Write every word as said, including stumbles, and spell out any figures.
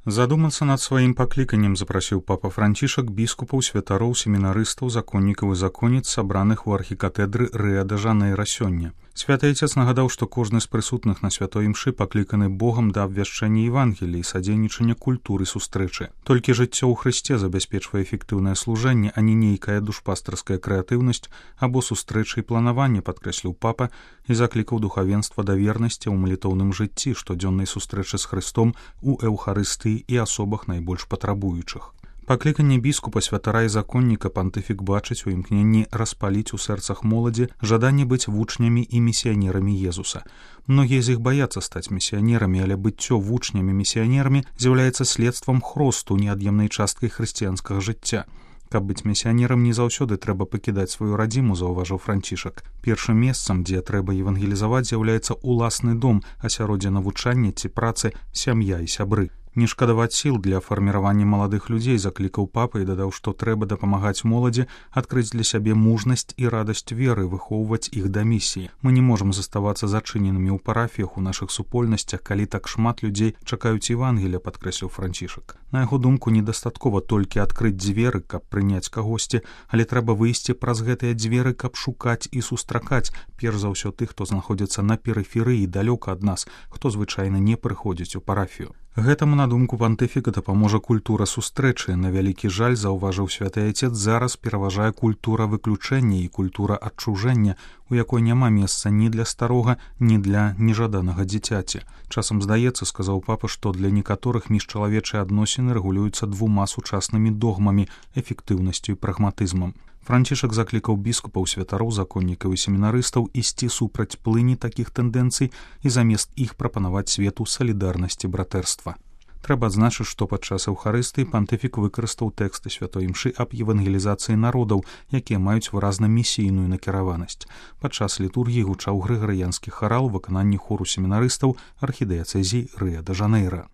Задумацца над сваім пакліканнем запрасіў папа Францішак біскупаў, святароў, семінарыстаў, законнікаў і законніц, сабраных у архікатэдры Рыа-дэ-Жанэйра сёння. Святы Айцец нагадаў, што кожны з прысутных на святой імшы пакліканы Богам да абвяшчэння Евангелія і садзейнічання культуры сустрэчы. Толькі жыццё ў Хрысце забяспечвае эфектыўнае служэнне, а не нейкая душпастарская крэатыўнасць або сустрэчы і планаванне, падкрэсліў папа і заклікаў духавенства да вернасці ў малітоўным жыцці, штодзённай сустрэчы з Хрыстом у эўхарыстыі і асобах найбольш патрабуючых. Пакліканне біскупа, святара і законніка пантыфік бачыць у імкненні распаліць у сэрцах моладзі жаданне быць вучнямі і місіянерамі Езуса. Многія з іх баяцца стаць місіянерамі, але быццё вучнямі-місіянерамі з'яўляецца следствам хросту, неад'емнай часткай хрысціянскага жыцця. Каб быць місіянерам, не заўсёды трэба пакідаць сваю радзіму, заўважыў Францішак. Першым месцам, дзе трэба евангелізаваць, з'яўляецца уласны дом, асяроддзе навучання ці працы, сям'я і сябры. Не шкадаваць сіл для фарміравання маладых людзей, заклікаў папа і дадаў, што трэба дапамагаць моладзі адкрыць для сябе мужнасць і радасць веры, выхоўваць іх да місіі. Мы не можам заставацца зачыненымі ў парафіях, у нашых супольнасцях, калі так шмат людзей чакаюць Евангелія, падкрэсліў Францішак. На яго думку, недастаткова толькі адкрыць дзверы, каб прыняць кагосьці, але трэба выйсці праз гэтыя дзверы, каб шукаць і сустракаць, перш за ўсё тых, хто знаходзіцца на перыферыі далёка ад нас, хто звычайна не прыходзіць у парафію. Гэтаму, на думку пантыфіка, дапаможа культура сустрэчы. На вялікі жаль, заўважыў святы Айцец, зараз пераважае культура выключэння і культура адчужэння, у якой няма месца ні для старога, ні для нежаданага дзіцяці. Часам здаецца, сказаў папа, што для некаторых міжчалавечыя адносіны рэгулююцца двума сучаснымі догмамі, эфектыўнасцю і прагматызмам. Францішак заклікаў біскупаў, святароў, законнікаў і семінарыстаў ісці супраць плыні такіх тэндэнцый і замест іх прапанаваць свету салідарнасці, братэрства. Трэба адзначыць, што падчас эўхарыстыі пантыфік выкарыстаў тэксты святой імшы аб евангелізацыі народаў, якія маюць выразна місійную накіраванасць. Падчас літургіі гучаў грыгарыянскі харал у выкананні хору семінарыстаў архідыяцэзіі Рыа-дэ-Жанэйра.